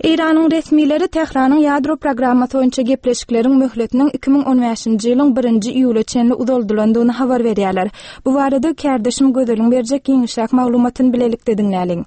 Eýranyň resmileri Tähranyň ýadro programmasy boýunça gepleşikleriň möhletiniň 2015-nji ýylyň birinji iýula çenli uzaldylandygyny habar berýärler. Bu barada kärdeşim Gözeliň berjek giňişräk maglumatyny bilelikde diňläliň.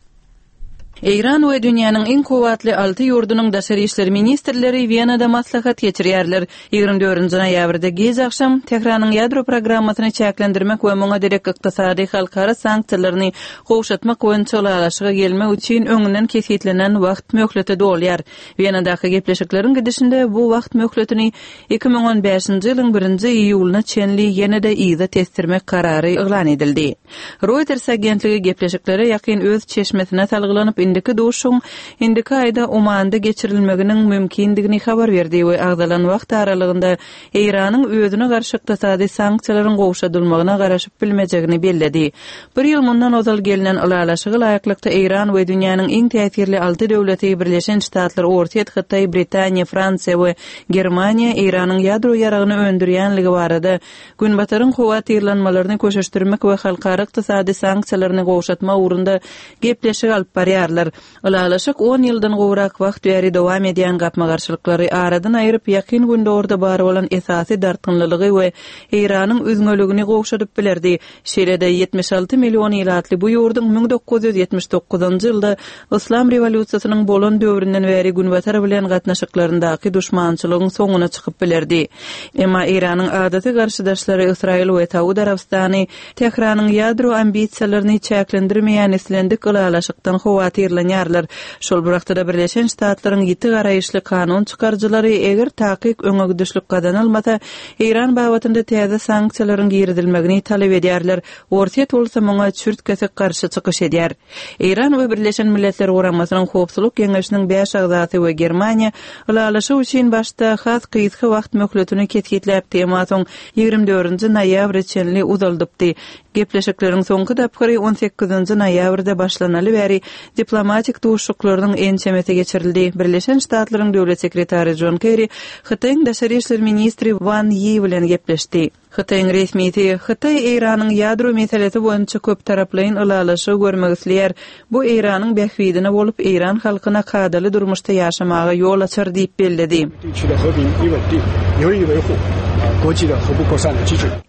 Eýran we dünýäniň iň kuwwatly alty ýurdunyň daşary işler ministrleri Wenada maslahat geçirýärler. 24 noýabrda giç agşam Tähranyň ýadro programmasyny çäklendirmek we muňa derek ykdysady halkara sanksiýalaryny gowşatmak boýunça ylalaşyga gelmek üçin öňünden kesgitlenen wagt möhleti dolýar. Wenadaky gepleşikleriň gidişinde bu wagt möhletini 2015-nji ýylyň birinji iýulyna çenli ýene-de yza tesdirmek karary yglan edildi. Reuters agentligi gepleşiklere ýakyn öz çeşmesine salgylanyp, indiki duşuşygyň indiki aýda Omanda geçirilmeginiň mümkindigini habar berdi we agzalan wagt aralygynda Eýranyň özüne garşy ykdysady sanksiýalaryň gowşadylmagyna garaşyp bilmejegini belledi. Bir ýyl mundan ozal gelnen ylalaşyga laýyklykda Eýran we dünýäniň iň täsirli alty döwleti Birleşen Ştatlar, Orsýet, Hytaý, Britaniýa, Fransiýa we Germaniýa Eýranyň ýadro ýaragyny öndürýänligi barada Günbataryň howatyrlanmalaryny köşeşdirmek we halkara ykdysady sanksiýalaryny gowşatmak ugrunda gepleşik alyp barýarlar. Ylalaşyk on ýyldan gowrak wagt bäri dowam edýän gapma-garşylyklary aradan aýryp, Ýakyn Gündogarda bar bolan esasy dartgynlylygy we Eýranyň üzňeligini gowşadyp bilerdi. Şeýle-de, 76 million ilatly bu ýurduň 1979-njy ýylda Yslam rewolýusiýasynyň bolan döwründen bäri Günbatar bilen gatnaşyklaryndaky duşmançylygyň soňuna çykyp bilerdi. Emma Eýranyň adaty garşydaşlary Ysraýyl we Saud Arabystany Tähranyň ýadro ambisiýalaryny çäklendirmeýän islendik ylalaşykdan howatyrlanýarlar. Şol bir wagtda-da Birleşen Ştatlaryň ýiti garaýyşly kanun çykaryjylary eger takyk öňegidişlik gazanylmasa, Eýran babatynda täze sanksiýalaryň girizilmegini talap edýärler. Orsýet bolsa muňa çürt-kesik garşy çykyş edýär. Eýran we Birleşen Milletler Guramasynyň Howpsuzlyk Geňeşiniň bäş agzasy we Germaniýa ylalaşyk üçin başda has gysga wagt möhletini kesgitläpdi, emma soň 24-nji noýabra çenli uzaldypdy. Gepleşikleriň soňky tapgyry on sekizinji noýabrda başlanaly bäri diplomatik duşuşyklarynyň ençemesi geçirildi. Birleşen Ştatlaryň Döwlet sekretary Jon Kerri Hytaýyň daşary işler ministri Wan Ýi bilen gepleşdi. Hytaýyň resmisi, Hytaý Eýranyň ýadro meselesi boýunça köptaraplaýyn ylalaşygy görmek isleýär. Bu Eýranyň bähbidine bolup, eýran halkyna kadaly durmuşda ýaşamaga ýol açar diýip belledi.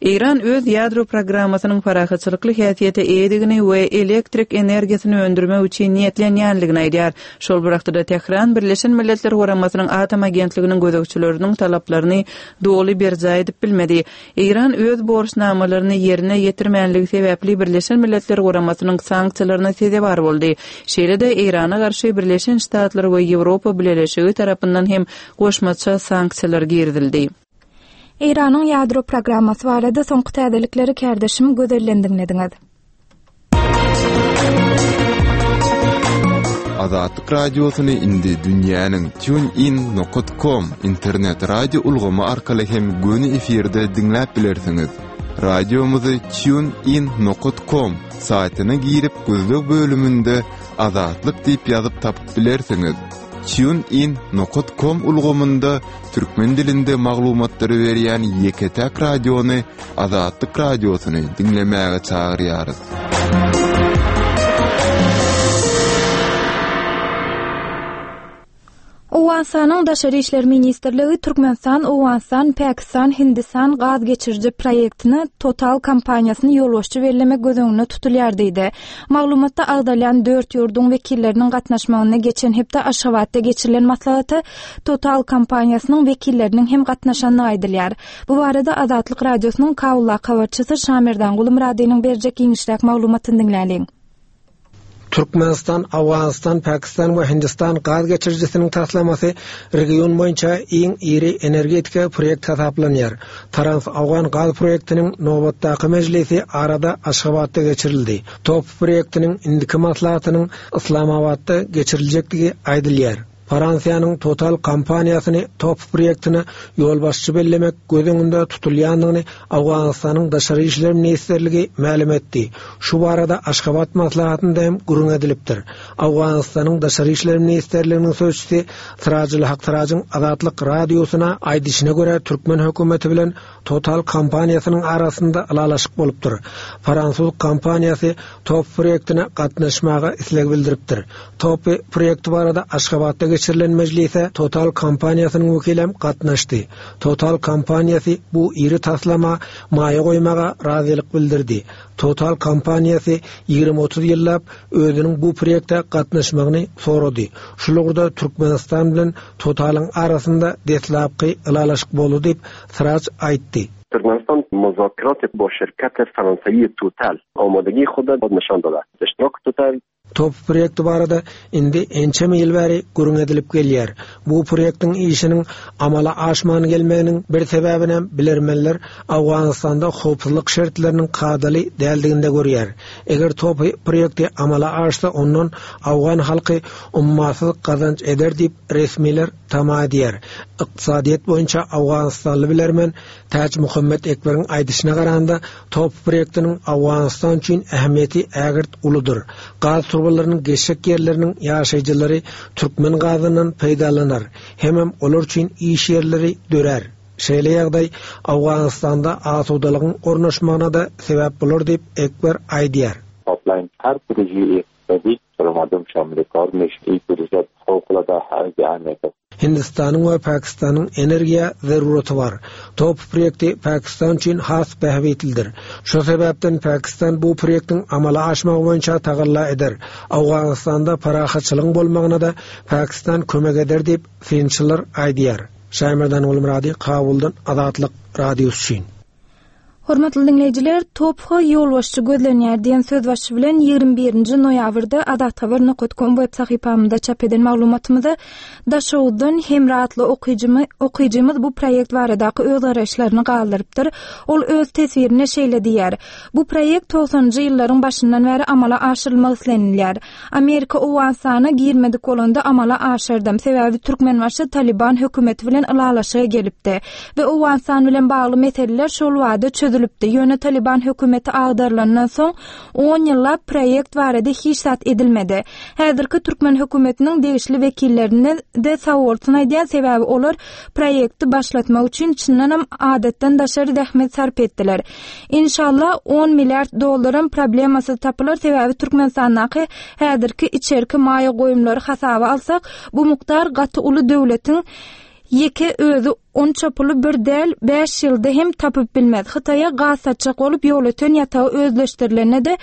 Eýran öz ýadro programmasynyň parahatçylykly häsiýete eýedigini we elektrik energiýasyny öndürmek üçin niýetlenýänligini aýdýar. Şol bir wagtda-da Tähran Birleşen Milletler Guramasynyň Atom agentliginiň gözegçileriniň talaplaryny doly berjaý edip bilmedi. Eýran öz borçnamalaryny ýerine ýetirmänligi sebäpli Birleşen Milletler Guramasynyň sanksiýalaryna sezewar boldy. Şeýle-de Eýrana garşy Birleşen Ştatlar we Ýewropa Bileleşigi tarapyndan hem goşmaça sanksiýalar girizildi. Eýranyň ýadro programmasy barada soňky täzelikleri kärdeşim Gözelden diňlediňiz. Azatlyk Radiosyny indi dünýäniň TuneIn nokat com internet radio ulgamy arkaly hem göni efirde diňläp bilersiňiz. Radiomyzy TuneIn nokat com saýtyna girip gözleg bölüminde Azatlyk diýip ýazyp tapyp bilersiňiz. TuneIn nokat com ulgamynda türkmen dilinde maglumatlary berýän ýeke-täk radiony Azatlyk Radiosyny diňlemäge çagyrýarys. Owganystanyň Daşary işler ministrligi Türkmenistan, Owganystan, Pakistan, Hindistan gaz geçiriji proýektine Total kompaniýasyny ýolbaşçy bellemek göz öňünde tutulýar diýdi. Maglumatda agzalýan dört ýurduň wekilleriniň gatnaşmagynda geçen hepde Aşgabatda geçirilen maslahata Total kompaniýasynyň wekilleriniň hem gatnaşandygy aýdylýar. Bu barada Azatlyk Radiosynyň Kabuldaky habarçysy Şamerdan Gulumyradynyň berjek giňişräk maglumatyny diňläliň. Türkmenistan, Owganystan, Pakistan we Hindistan gaz geçirijisiniň taslamasy region boýunça iň iri energetika proýekt hasaplanýar. Trans-Owgan gaz proýektiniň nobatdaky mejlisi arada Aşgabatda geçirildi. TOPH proýektiniň indiki maslahatynyň Yslamabatda geçiriljekdigi aýdylýar. Fransiýanyň Total kompaniýasyny TOPH proýektine ýolbaşçy bellemek göz öňünde tutulýandygyny Owganystanyň Daşary işler ministrligi mälim etdi. Şu barada Aşgabat maslahatynda hem gürrüň edilipdir. Owganystanyň Daşary işler ministrliginiň sözçüsi Sirajulhak Sirajyň Azatlyk Radiosyna aýdyşyna görä, türkmen hökümeti bilen Total kompaniýasynyň arasynda ylalaşyk bolupdyr. Fransuz kompaniýasy TOPH proýektine gatnaşmaga isleg bildiripdir. TOPH proýekti barada Aşgabatda geçirilen. geçirilen mejlise Total kompaniýasynyň wekilem gatnaşdy. Total kompaniýasy bu iri taslama maýa goýmaga razylyk bildirdi. Total kompaniýasy 20-30 ýyllap özüniň bu proýekte gatnaşmagyny sorady. Şul ugurda Türkmenistan bilen Totalyň arasynda deslapky ylalaşyk boldy diýip, Siraç aýtdy. Türkmenistan مذاکرات با شرکت فرانسوی توتال آمادگی خود نشان داده اشتراک توتال Top proýekti barada indi ençeme ýyl bäri gürrüň edilip gelýär. Bu proýektiň işiniň amala aşman gelmeginiň bir sebäbinem bilermenler Owganystanda howpsuzlyk şertleriniň kadaly däldiginde görýär. Eger top proýekti amala aşsa ondan owgan halky ummasyz gazanç eder diýip resmiler tama edýär. Ykdysadyýet boýunça owganystanly bilermen Täçmuhammet Ekberiň aýdyşyna garanda, top proýektiniň Owganystan üçin ähmiýeti ägirt uludyr. Gaz turbalarynyň geçjek ýerleriniň ýaşaýjylary türkmen gazyndan peýdalanar, hemem olar üçin iş ýerleri dörär. Şeýle ýagdaý Owganystanda asudalygyň ornaşmagyna-da sebäp bolar diýip, Ekber aýdýar. Pipeline هر پروژه اقتصادی برای مردم شامل کار میشه این پروژه فوق العاده اهمیت است. Hindistanyň we Pakistanyň energiýa zeruraty bar. Top proýekti Pakistan üçin has bähbitlidir. Şo sebäpden Pakistan bu proýektiň amala aşmagy boýunça tagalla eder. Owganystanda parahatçylygyň bolmagyna-da Pakistan kömek eder diýip, synçylar aýdýar. Şaýmerdan Gulmyrady, Kabuldan Azatlyk Radiosy üçin. Hormatly diňleýjiler, TOPH ýolbaşçy gözlenýär diýen sözbaşy bilen 21-nji noýabrda Azathabar nokat kom web sahypamyzda çap eden maglumatymyza Daşoguzdan Hemra atly okyjymy, okyjymyz bu proýekt baradaky öz garaýyşlaryny galdyrypdyr. Ol öz teswirinde şeýle diýýär, Bu proýekt togsanynjy ýyllaryň başyndan bäri amala aşyrylmak islenilýär. Amerika Owganystana girmedik bolanda amala aşardam, sebäbi Türkmenbaşy Talyban hökümeti bilen ylalaşyga gelipdi we Owganystan bilen bagly meseleler şol bada çözülipdi, ýöne Talyban hökümeti agdarylandan soň on ýyllap proýekt barada hiç zat edilmedi. Häzirki türkmen hökümetiniň degişli wekillerine-de sagbolsun aýdýan, sebäbi olar proýekti başlatmak üçin çyndanam adatdan daşary zähmet sarp etdiler. Inşallah on milliard dollaram problemasyz tapylar sebäbi Türkmenistandaky häzirki içerki maýa goýumlary hasaba alsak bu mukdar gaty uly döwletiň ýeke özi onça puly bir däl bäş ýylda hem tapyp bilmez Hytaýa gaz satjak bolup Ýolöten ýatagy özleşdirilende-de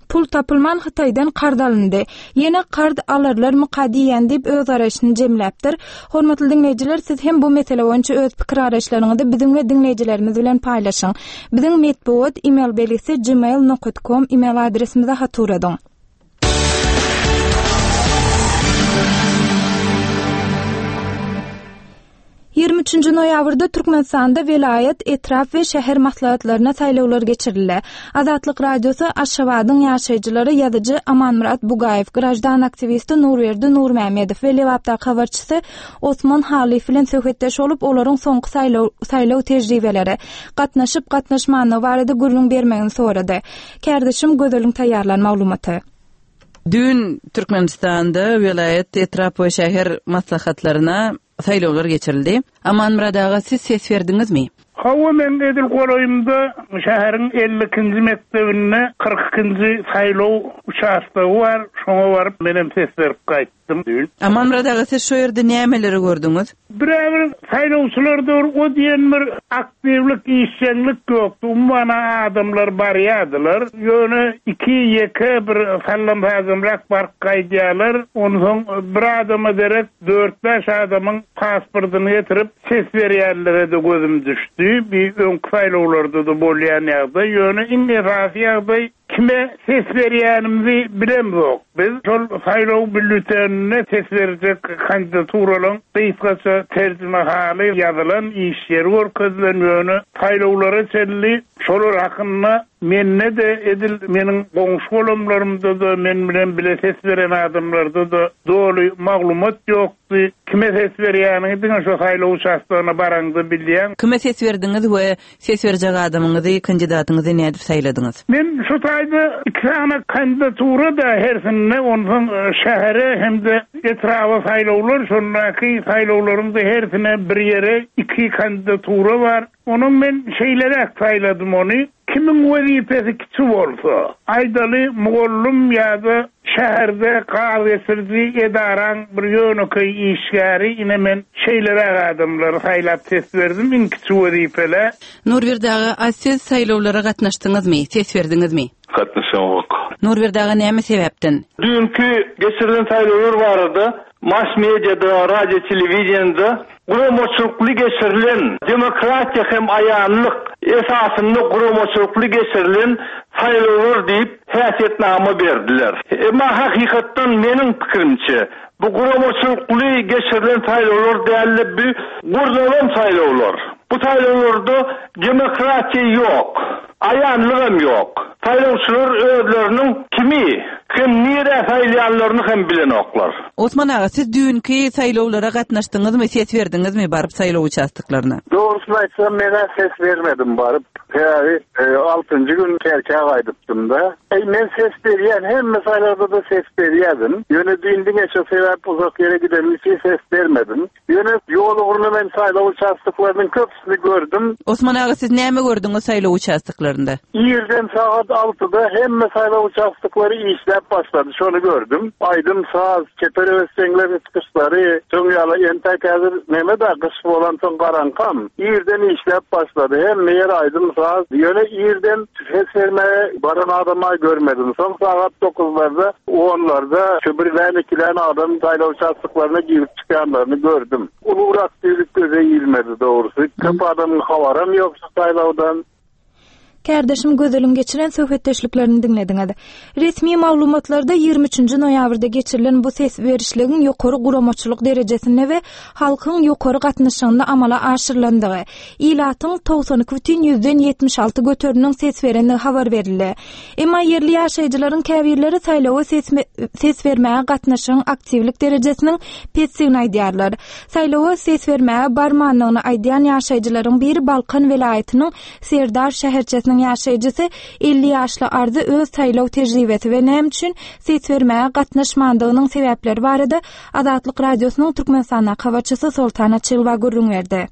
Pul tapylman Hytaýdan karz alyndy. Ýene karz alarlarmyka diýýän diýip öz garaýşyny jemläpdir. Hormatly diňleýjiler siz hem bu mesele boýunça öz pikir garaýyşlaryňyzy biziň we diňleýjilerimiz bilen paýlaşyň. Biziň metbugat email belgisi gmail nokat kom email adresimize hat ugradyň. 23-nji noýabrda Türkmenistanda welaýat, etrap we şäher maslahatlaryna saýlawlar geçirildi. Azatlyk Radiosy Aşgabadyň ýaşaýjylary ýazyjy Amanmyrat Bugaýew, graždan aktiwisti Nurberdi Nurmämmedow we Lebapdaky habarçysy Osman Halyýew bilen söhbetdeş bolup, olaryň soňky saýlaw saýlaw tejribeleri, gatnaşyp-gatnaşmanlygy barada gürrüň bermegini sorady. Kärdeşim Gözeliň taýýarlan maglumaty. Düýn Türkmenistanda welaýat, etrap we şäher maslahatlaryna saýlawlar geçirildi. Amanmyrat aga, siz ses berdiňizmi? Hawa, meň edil golaýymda şäheriň 52-nji mekdebinde 42-nji saýlaw uçastogy bar, şoňa baryp menem ses berip gaýtdym düýn. Amanmyrat aga, siz şo ýerde nämeleri gördüňiz? Birä-bir saýlawçylarda bir o diýen bir aktiwlik, işjeňlik ýokdy. Umuman-a adamlar barýardylar. Ýöne iki-ýeke bir sallam-sajamrak baryp gaýdýarlar. Onsoň bir adama derek dört-bäş adamyň pasportyny getirip ses berýänlere-de gözüm düşdi. Bi öňki saýlawlarda-da bolýan ýagdaý. Ýöne iň esasy ýagdaý Kime ses berýänimizi bilemzok. Biz şol saýlaw býulleteninde ses berjek kandidaturalaryň gysgaça terjimehaly ýazylan, iş ýeri görkezilen, ýöne saýlawlara çenli şolar hakynda mende-de, edil meniň goňşy-golamlarymda-da, men bilen bile ses beren adamlarda-da doly maglumat ýokdy. Kime ses berýäniňi diňe şo saýlaw uçastogyna baraňda bilýäň. Kime ses berdiňiz we Ses berjek adamyňyzy, kandidatyňyzy nädip saýladyňyz? Men şu taýda iki sany kandidatura-da hersinde, onsoň şähere hem-de etraba saýlawlar, şondaky saýlawlaryň-da hersine bir ýere iki kandidatura bar. Onuň men şeýleräk saýladym ony, kimiň wezipesi kiçi bolsa, aýdaly, mugallym ýa-da. Şäherde gaz geçiriji edaraň bir ýönekeý işgäri, ine men şeýleräk adamlary saýlap ses berdim, iň kiçi wezipelä. Nurberdi aga, a siz saýlawlara gatnaşdyňyzmy, ses berdiňizmi? Gatnaşamok. Nurberdi aga näme sebäpden? Düýnki geçirilen saýlawlar barada mass mediada, radio, telewideniýede guramaçylykly geçirilen, demokratiýa hem aýanlyk esasynda guramaçylykly geçirilen saýlawlar diýip häsiýetnama berdiler. Emma hakykatdan meniň pikirimçe, bu guramaçylykly geçirilen saýlawlar däldi, bu gurnalan saýlawlar. Bu saýlawlarda demokratiýa ýok. Aýanlygam ýok. Saýlawçylar özleriniň kimi hem nirä saýlaýanlaryny hem bilenoklar. Osman aga, siz düýnki saýlawlara gatnaşdyňyzmy, ses berdiňizmi baryp saýlaw uçastoklaryna? Dogrusyny aýtsam, men-ä ses bermedim baryp. Sebäbi altynjy gün Kerkä gaýdypdym-da. Eý, men ses berýän, hemme saýlawda-da ses berýärdim. Ýöne düýn diňe şo sebäp uzak ýere gidenim üçin ses bermedim. Ýöne ýol ugruna men saýlaw uçastoklarynyň köpüsini gördüm. Osman aga siz näme gördüňiz saýlaw uçastoklarynda? Irden sagat altyda hemme saýlaw uçastoklary işläp başlady, şony gördüm. Aýdym-saz, çeper höwesjeňleriň çykyşlary, şoň ýaly entäk häzir neme-dä gyş bolansoň garaňkam. Irden işläp başlady, hemme ýer aýdym-saz. Ýöne irden Ses bermäge baran adam-a görmedim. Soň sagat dokuzlarda, onlarda şu birlän-ikilän adam saýlaw uçastoklaryna girip çykýanlaryny gördüm. Ulurak düýlük göze ilmedi dogrusy. Köp adamyň habaram ýok şu saýlawdan. Kärdeşim Gözeliň geçiren söhbetdeşliklerini diňlediňiz. Resmi maglumatlarda 23-nji noýabrda geçirilen bu ses berişligiň ýokary guramaçylyk derejesinde we halkyň ýokary gatnaşygynda amala aşyrylandygy, ilatyň 92 bütin ýüzden 76 göteriminiň ses berendigi habar berildi. Emma ýerli ýaşaýjylaryň käbirleri saýlawa ses bermäge gatnaşygyň aktiwlik derejesiniň pesdigini aýdýarlar. Saýlawa ses bermäge barmandygyny aýdýan ýaşaýjylaryň biri Balkan welaýatynyň Serdar şäherçesiniň ýaşaýjysy 50 ýaşly Arzy öz saýlaw tejribesi we näme üçin ses bermäge gatnaşmandygynyň sebäpleri barada Azatlyk Radiosynyň Türkmenistandaky habarçysy Soltan Açylowa gürrüň berdi.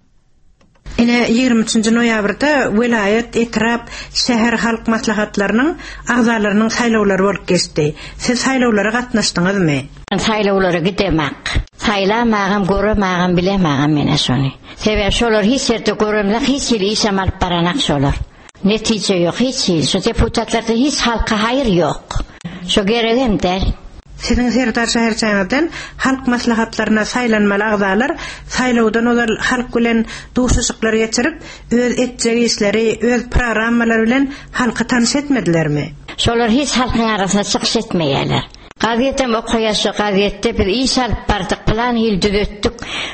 Ine, 23-nji noýabrda welaýat, etrap, şäher halk maslahatlarynyň agzalarynyň saýlawlary bolup geçdi. Siz saýlawlara gatnaşdyňyzmy? Men saýlawlara gidemak. Saýlamagam, göremagam, bilemagam men-ä şony. Sebäbi şolar hiç ýerde göremzok, hiç hili işem alyp baranak şolar. Netije ýok hiç hili. Şu deputatlarda hiç halka haýyr ýok. Şo geregem däl. Siziň Serdar şäherçäňizden halk maslahatlaryna saýlanmaly agzalar saýlawdan ozal halk bilen duşuşyklar geçirip, öz etjek işleri, öz programmalary bilen halky tanyş etmedilermi? Şolar hiç halkyň arasynda çykyş etmeýärler. Gazetem okaýas şo gazetde biz iş alyp bardyk pylan hili düzetdik,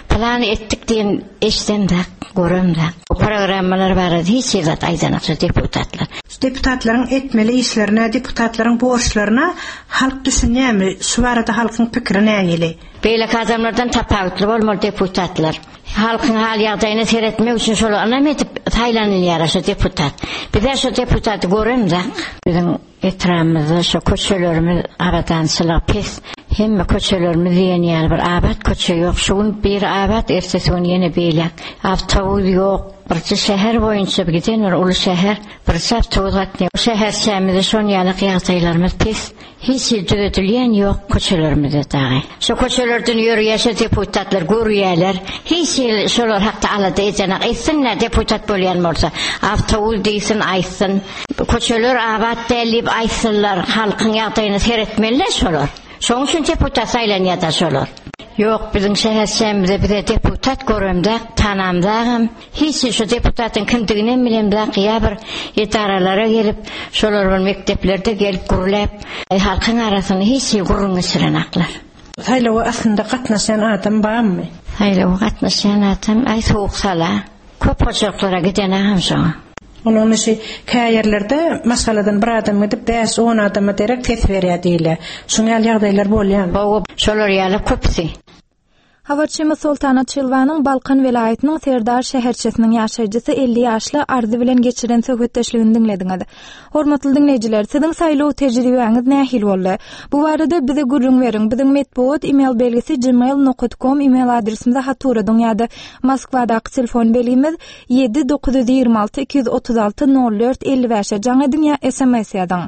pylany etdik diýen eşdemzak, göremzak. O programmalar barada hiç hili zat aýdanak şo deputatlar. Şu deputatlaryň etmeli işlerine, deputatlaryň borçlaryna halk düşünýärmi? Şu barada halkyň pikiri nähili? Beýleki adamlardan tapawutly bolmaly deputatlar. Halkyň hal-ýagdaýyna seretmek üçin şolar ynam edip saýlanylýar şo deputat. Bizä şo deputaty göremzak. Biziň Etrabymyzda şo köçelerimiz abadançylygy pes. Hemme köçelerimiz diýen ýaly bir abat köçe ýok. Şu gün biri abat, ertesi gün ýene beýläk. Awtobus ýok. Birje şäher boýunça giden bir uly şäher, birje awtobus gatnaýar. Şäherçämizde şon ýalak ýagdaýlarymyz pes. Hiç hili düzedilýän ýok köçelerimizde dagy. Şo köçelerden ýörýär şo deputatlar görýärler. Hiç hili şolar hakda alada edenak. Etsinler deputat bolýan bolsa. Awtobus diýsin aýtsyn. Köçeler abat däl diýip aýtsynlar. Halkyň ýagdaýyna seretmeliler şolar. Şoň üçin deputat saýlanýada şolar. Ýok biziň şäherçämizde bize deputat göremzak, tanamzagam. Hiç hili şo deputatyň kimdiginem bilemzak ýa bir edaralara gelip şolar bir mekdeplerde gelip gürläp halkyň arasynda hiç hili gürrüň geçirenaklar. Saýlawa aslynda gatnaşýan adam barmy? Saýlawa gatnaşýan adam aý sowuk sala. Köp hojalyklara gidenagam şoňa. Onuň işi kä ýerlerde maşgaladan bir adam gidip bäş-on adama derek ses berýär diýilýär. Şuň ýaly ýagdaýlar bolýarmy? Hawa, şolar ýaly köpüsi. Habarçymyz Soltan Açylwanyň Balkan welaýatynyň Serdar şäherçesiniň ýaşaýjysy 50 ýaşly Arzy bilen geçiren söhbetdeşligini diňlediňiz. Hormatly diňleýjiler, siziň saýlaw tejribäňiz nähili boldy? Bu barada bize gürrüň beriň. Biziň metbugat email belgisi gmail nokat kom email adresimize hat ugradyň ýa-da Moskwadaky telefon belgimiz 7 926 236 04 55-e jaň ediň ýa sms ýazyň.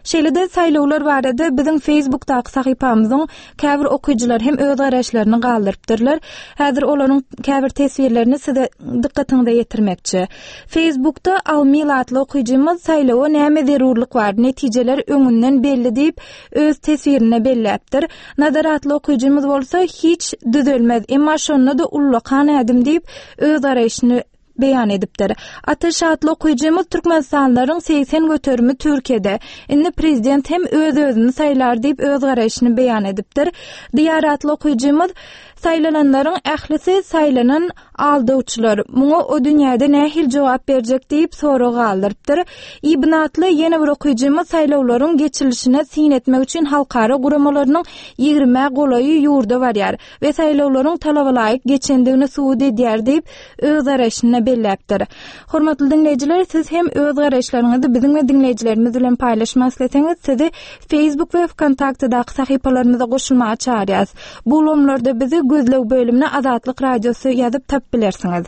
Şeýle-de saýlawlar barada biziň Facebookdaky sahypamyzyň käbir okyjylary hem öz garaýyşlaryny galdyrypdyrlar. Häzir olaryň käbir teswirlerini size dykgatyňyza ýetirmekçi. Facebookda Almil atly okyjymyz saýlawa näme zerurlyk bar, netijeler öňünden belli diýip, öz teswirinde belläpdir. Nazar atly okyjymyz bolsa hiç düzelmez, emma şonda-da ullakan ädim diýip, öz garaýşyny beýan edipdir. Ataş atly okyjymyz Türkmenistanlylaryň 80 göterimi Türkiýede. Indi prezident hem öz-özüni saýlar diýip öz garaýşyny beýan edipdir. Diýar atly okyjymyz Saýlananlaryň ählisi saýlanan aldawçylar. Muňa o dünýäde nähili jogap berjek diýip sorag galdyrypdyr. Ibn atly ýene bir okyjymyz saýlawlaryň geçirilişine syn etmek üçin halkara guramalarynyň ýigrimä golaýy ýurda barýar. we saýlawlaryň talabalaýyk geçendigini subut edýär diýip, öz garaýşynda belläpdir. Hormatly diňleýjiler, siz hem öz garaýyşlaryňyzy biziň we diňleýjilerimiz bilen paýlaşmak isleseňiz, sizi Facebook we VKontaktedaky sahypalarymyza goşulmaga çagyrýarys. Bu ulgamlarda bizi gözleg bölümine Azatlyk Radiosy ýazyp tapyp bilersiňiz.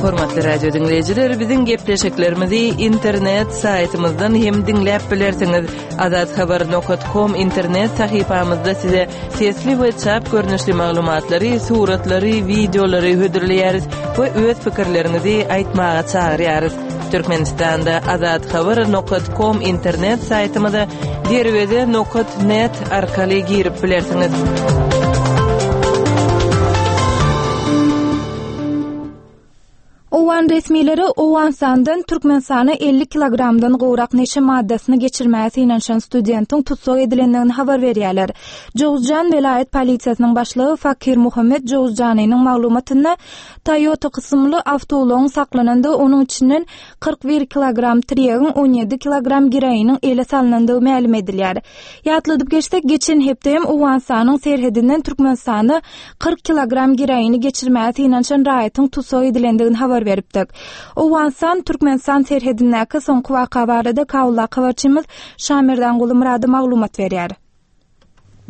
Hormatly radio diňleýjiler, biziň gepleşiklerimizi internet saýtymyzdan hem diňläp bilersiňiz. Azathabar.com internet sahypamyzda size sesli we çap görnüşli maglumatlary, suratlary, wideolary hödürleýäris we öz pikirleriňizi aýtmaga çagyrýarys. Türkmenistanda azathabar.com internet saýtymyza derweze nokat net arkaly girip bilersiňiz. Owgan resmileri Owganystandan Türkmenistana 50 kilogramdan gowrak neşe maddasyny geçirmäge synanyşan studentiň tussag edilendigini habar berýärler. Jowzjan welaýat polisiýasynyň başlygy Fakir Muhammet Jowzjanynyň maglumatynda Toyota kysymly awtoulagyň saklanandygy, onuň içinden 41 kilogram tirýegiň, 17 kilogram geroiniň ele salnandygy mälim edilýär. Ýatladyp geçsek, geçen hepde hem Owganystanyň serhedinden Türkmenistana 40 kilogram geroini geçirmäge synanyşan raýatyň tussag edilendigini habar beripdik. Owganystan, Türkmenistan serhedindäki soňky waka barada Kabuldaky habarçymyz Şamerdan Gulumyrady maglumat berýär.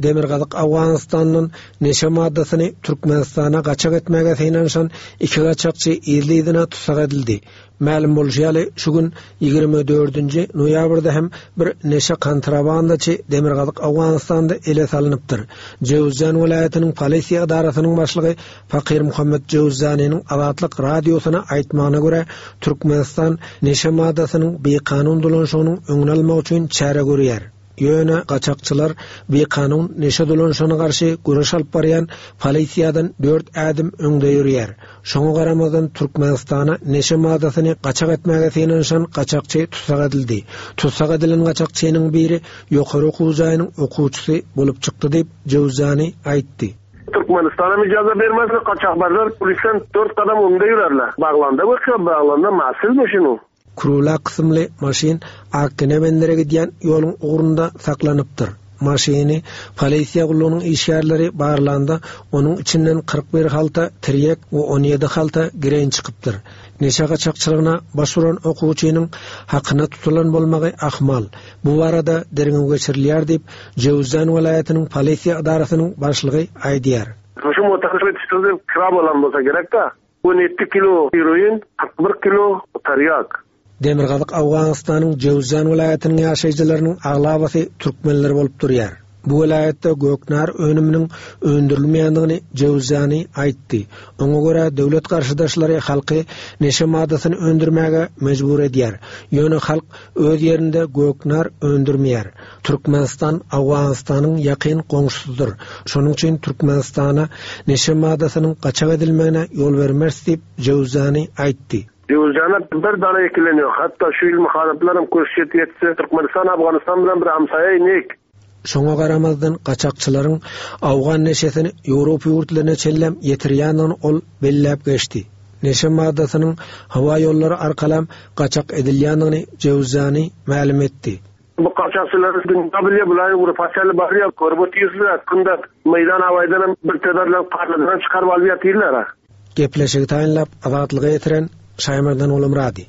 Demirgazyk Owganystandan neşe maddasyny Türkmenistana gaçak etmäge synanyşan iki gaçakçy yzly-yzyna tussag edildi. Mälim bolşy ýaly, şu gün, 24-nji noýabrda hem bir neşe kontrabandaçy Demirgazyk Owganystanda ele salnypdyr. Jöwüzjan welaýatynyň polisiýa edarasynyň başlygy Fakir Muhammet Jöwüzjanynyň Azatlyk Radiosyna aýtmagyna görä, Türkmenistan neşe maddasynyň bikanun dolanyşygynyň öňüni almak üçin çäre görýär. Ýöne gaçakçylar bikanun neşe dolanyşygyna garşy göreş alyp barýan polisiýadan dört ädim öňde ýörýär. Şoňa garamazdan Türkmenistana neşe maddasyny gaçak etmäge synanyşan gaçakçy tussag edildi. Tussag edilen gaçakçynyň biri ýokary okuw jaýynyň okuwçysy bolup çykdy diýip, Jöwzani aýtdy. Türkmenistanam ijaza bermezler, gaçakbazlar polisden dört gadam öňde ýörerler. Baglanda görkezip, baglanda masil maşyny. Krula kysymly maşyn Akgene bendere gidýän ýoluň ugrunda saklanypdyr. Maşyny polisiýa gullugynyň işgärleri barlanda, onuň içinden 41 halta tirýek we 17 halta gireýin çykypdyr. Neşe gaçakçylygyna baş uran okuwçynyň hakyna tutulan bolmagy ahmal. Bu barada derňew geçirilýär diýip, Jöwüzjan welaýatynyň polisiýa edarasynyň başlygy aýdýar. Şu motor kira bolan bolsa gerek-dä. 17 kilo heroin, 41 kilo tarýak. Demirgazyk Owganystanyň Jöwüzjan welaýatynyň ýaşaýjylarynyň aglabasy türkmenler bolup durýar. Bu welaýatda göknar önüminiň öndürilmeýändigini Jöwüzjani aýtdy. Oňa görä, döwlet garşydaşlary halky neşe maddasyny öndürmäge mejbur edýär. Ýöne halk öz ýerinde göknar öndürmeýär. Türkmenistan Owganystanyň ýakyn goňşusydyr. Şonuň üçin Türkmenistana neşe maddasynyň gaçak edilmegine ýol bermeris diýip, Jöwzani aýtdy. Jöwzana bir dana ekilen ýok. Hatda şu ýyl muharyplar hem köşşet ýetse, Türkmenistan Afganistan bilen bir hamsaýa inik. Şoňa garamazdan, gaçakçylaryň owgan neşesini Ýewropa ýurtlaryna çenlem ýetirýändigini ol belläp geçdi. Neşe maddasynyň howa ýollary arkalam gaçak edilýändigini Jöwzani mälim etdi. Bu gaçakçylar dünýä bilýär, bular Ýewropa çenli barýar, görüp otyrsylar, kynda meýdan awaýdanam bir teberlen garnydan çykaryp alyp ýatyrlar. Gepleşigi taýynlap, Azatlyga ýetiren Şaýmerdan Gulumyrady.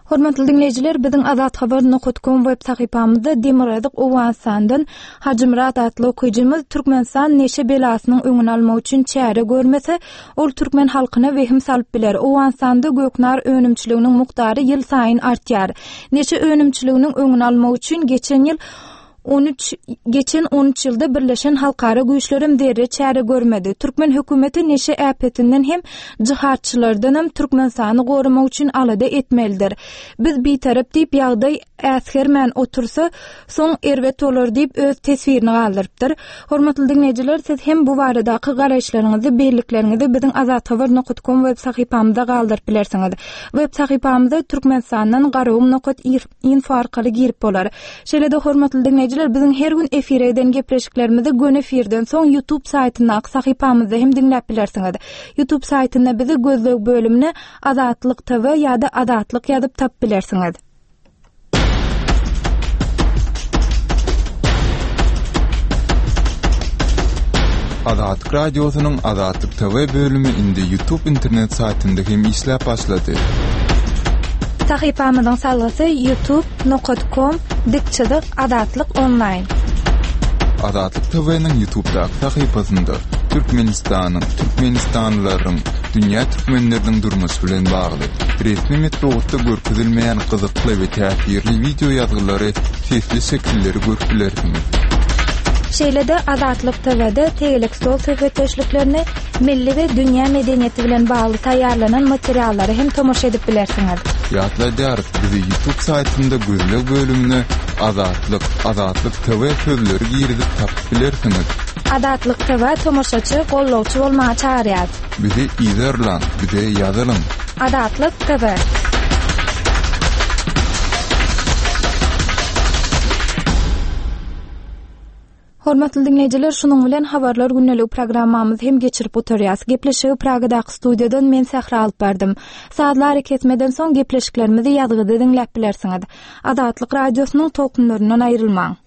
Hormatly diňleýjiler, biziň Azathabar nokat kom web sahypamyzda Demirgazyk Owganystandan Hajymyrat atly okyjymyz Türkmenistan neşe belasynyň öňüni almak üçin çäre görmese, ol türkmen halkyna wehim salyp biler. Owganystanda göknar önümçiliginiň mukdary ýylsaýyn artýar. Neşe önümçiliginiň öňüni almak üçin geçen ýyl 13 geçen 13 ýylda birleşen halkara güýçlerem zerre çäre görmedi. Türkmen hökümeti neşe äpetinden hem jihadçylardanam Türkmenistany goramak üçin alada etmelidir. Biz bitarap diýip ýagdaý äsgermän otursa, soň erbet bolar diýip öz teswirini galdyrypdyr. Hormatly diňleýjiler, siz hem bu baradaky garaýyşlaryňyzy, bellikleriňizi biziň azathabar nokat kom web sahypamyzda galdyryp bilersiňiz. Web sahypamyza Türkmenistandan garagum nokat info arkaly girip bolar. Şeýle-de hormatly diňleýjiler, biziň her gün efire eden gepleşiklerimizi göni efirden soň YouTube saýtyndaky sahypamyzda hem diňläp bilersiňiz. YouTube saýtynda bizi gözleg bölümine Azatlyk TV ýa-da Azatlyk ýazyp tapyp bilersiňiz. Azatlyk Radiosynyň Azatlyk TV bölümi indi YouTube internet saýtynda hem işläp başlady. Sahypamyzyň salgysy youtube nokat kom dik çyzyk azatlyk onlaýn. Azatlyk TV-niň YouTubedaky sahypasynda Türkmenistanyň, türkmenistanlylaryň, dünýä türkmenleriniň durmuşy bilen bagly, resmi metbugatda görkezilmeýän gyzykly we täsirli wideo ýazgylary, sesli şekilleri görüp bilersiňiz. Şeýle-de Azatlyk TW-de tegelek stol söhbetdeşliklerini, milli we dünýä medeniýeti bilen bagly taýýarlanan materiallara hem tomaşa edip bilersiňiz. Ýatladýarys, bizi YouTube saýtynda gözleg bölümine Azatlyk, Azatlyk TV sözleri girizip tapyp bilersiňiz. Azatlyk TV tomaşaçy, gollagçy bolmaga çagyrýar. Bizi yzarlaň, bize ýazylyň. Azatlyk TV. Hormatly diňleýjiler, şunuň bilen Habarlar gündeligi programmamyzy hem geçirip gutarýas. Gepleşigi Pragadaky studiýadan men Sähra alyp bardym. Sazly arakesmeden soň gepleşiklerimizi ýazgyda diňläp bilersiňiz. Azatlyk Radiosynyň tolkunlaryndan aýrylmaň.